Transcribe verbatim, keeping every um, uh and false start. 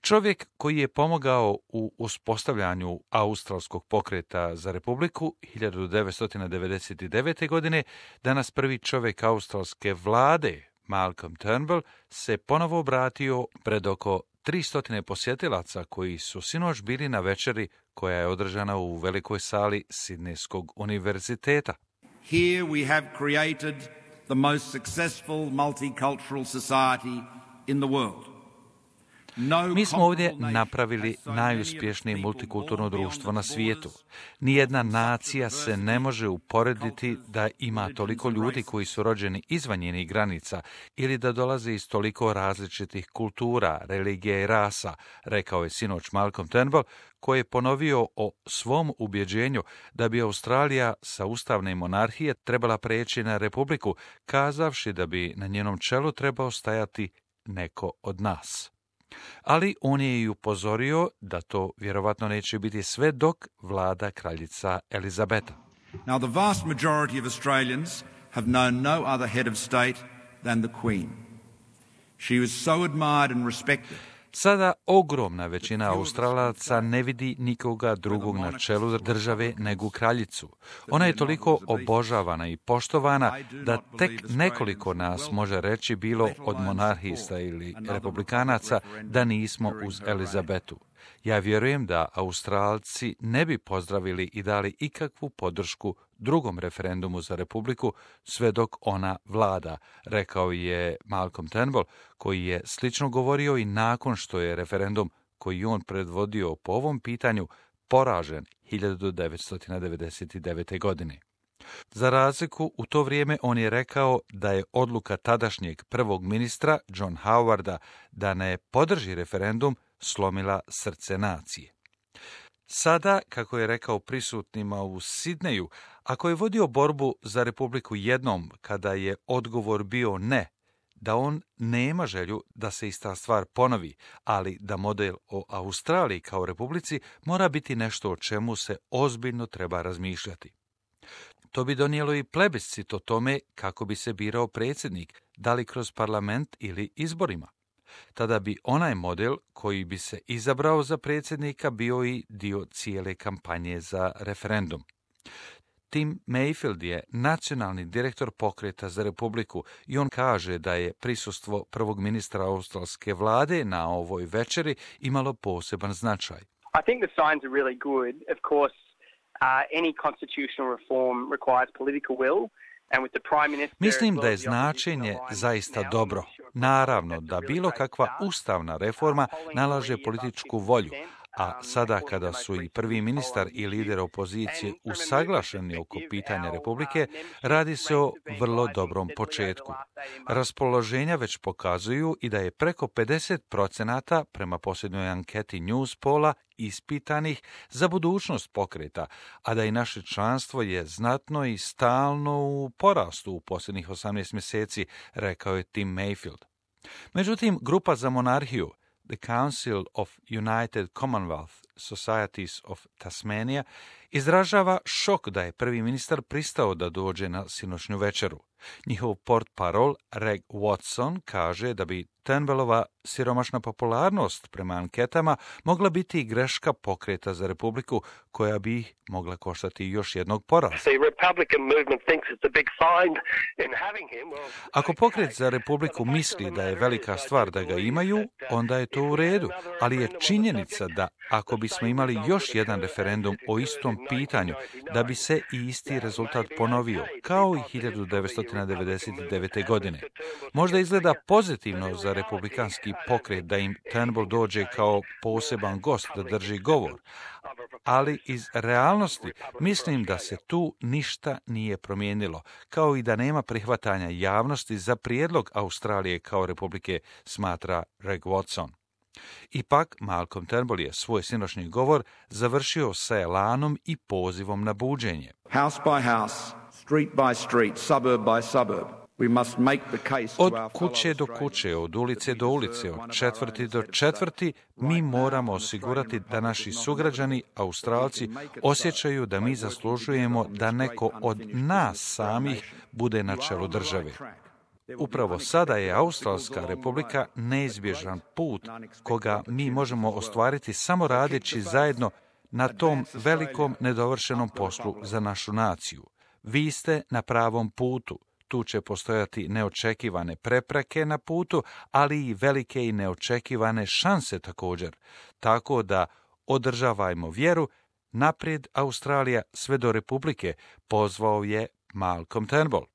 Čovjek koji je pomogao u uspostavljanju australskog pokreta za republiku hiljadu devetsto devedeset devete. godine, danas prvi čovjek australske vlade, Malcolm Turnbull, se ponovo obratio pred oko tristo posjetilaca koji su sinoć bili na večeri koja je održana u velikoj sali Sidnejskog univerziteta. Here we have created the most successful multicultural society in the world. Mi smo ovdje napravili najuspješnije multikulturno društvo na svijetu. Nijedna nacija se ne može uporediti da ima toliko ljudi koji su rođeni izvan njenih granica ili da dolaze iz toliko različitih kultura, religija i rasa, rekao je sinoć Malcolm Turnbull, koji je ponovio o svom ubjeđenju da bi Australija sa ustavne monarhije trebala preći na republiku, kazavši da bi na njenom čelu trebao stajati neko od nas. Ali on je i upozorio da to vjerovatno neće biti sve dok vlada kraljica Elizabeta. Now the vast majority of Australians have known no other head of state than the Queen. She was so admired and respected. Sada ogromna većina Australaca ne vidi nikoga drugog na čelu države nego kraljicu. Ona je toliko obožavana i poštovana da tek nekoliko nas može reći, bilo od monarhista ili republikanaca, da nismo uz Elizabetu. Ja vjerujem da Australci ne bi pozdravili i dali ikakvu podršku drugom referendumu za republiku sve dok ona vlada, rekao je Malcolm Turnbull, koji je slično govorio i nakon što je referendum koji on predvodio po ovom pitanju poražen hiljadu devetsto devedeset devete. godine. Za razliku, u to vrijeme on je rekao da je odluka tadašnjeg prvog ministra John Howarda da ne podrži referendum slomila srce nacije. Sada, kako je rekao prisutnima u Sidneju, ako je vodio borbu za republiku jednom kada je odgovor bio ne, da on nema želju da se ista stvar ponovi, ali da model o Australiji kao republici mora biti nešto o čemu se ozbiljno treba razmišljati. To bi donijelo i plebiscit o tome kako bi se birao predsjednik, da li kroz parlament ili izborima. Tada bi onaj model koji bi se izabrao za predsjednika bio i dio cijele kampanje za referendum. Tim Mayfield je nacionalni direktor pokreta za republiku i on kaže da je prisustvo prvog ministra australske vlade na ovoj večeri imalo poseban značaj. I think the signs are really good. Of course, uh, any constitutional reform requires political will. Mislim da je značenje zaista dobro. Naravno da bilo kakva ustavna reforma nalaže političku volju, a sada kada su i prvi ministar i lider opozicije usaglašeni oko pitanja republike, radi se o vrlo dobrom početku. Raspoloženja već pokazuju i da je preko pedeset procenata prema posljednjoj anketi Newspolla ispitanih za budućnost pokreta, a da i naše članstvo je znatno i stalno u porastu u posljednjih osamnaest mjeseci, rekao je Tim Mayfield. Međutim, grupa za monarhiju, The Council of United Commonwealth Societies of Tasmania, izražava šok da je prvi ministar pristao da dođe na sinoćnju večeru. Njihov portparol Reg Watson kaže da bi Turnbullova siromašna popularnost prema anketama mogla biti i greška pokreta za republiku koja bi ih mogla koštati još jednog poraza. Ako pokret za republiku misli da je velika stvar da ga imaju, onda je to u redu, ali je činjenica da ako bismo imali još jedan referendum o istom pitanju, da bi se i isti rezultat ponovio, kao i hiljadu devetsto devedeset devete. godine. Možda izgleda pozitivno za republikanski pokret da im Turnbull dođe kao poseban gost da drži govor, ali iz realnosti mislim da se tu ništa nije promijenilo, kao i da nema prihvatanja javnosti za prijedlog Australije kao republike, smatra Reg Watson. Ipak, Malcolm Turnbull je svoj sinoćni govor završio sa elanom i pozivom na buđenje. House by house, street by street, suburb by suburb. Od kuće do kuće, od ulice do ulice, od četvrti do četvrti, mi moramo osigurati da naši sugrađani, Australci, osjećaju da mi zaslužujemo da neko od nas samih bude na čelu države. Upravo sada je Australska republika neizbježan put koga mi možemo ostvariti samo radeći zajedno na tom velikom nedovršenom poslu za našu naciju. Vi ste na pravom putu. Tu će postojati neočekivane prepreke na putu, ali i velike i neočekivane šanse također. Tako da održavajmo vjeru, naprijed Australija sve do republike, pozvao je Malcolm Turnbull.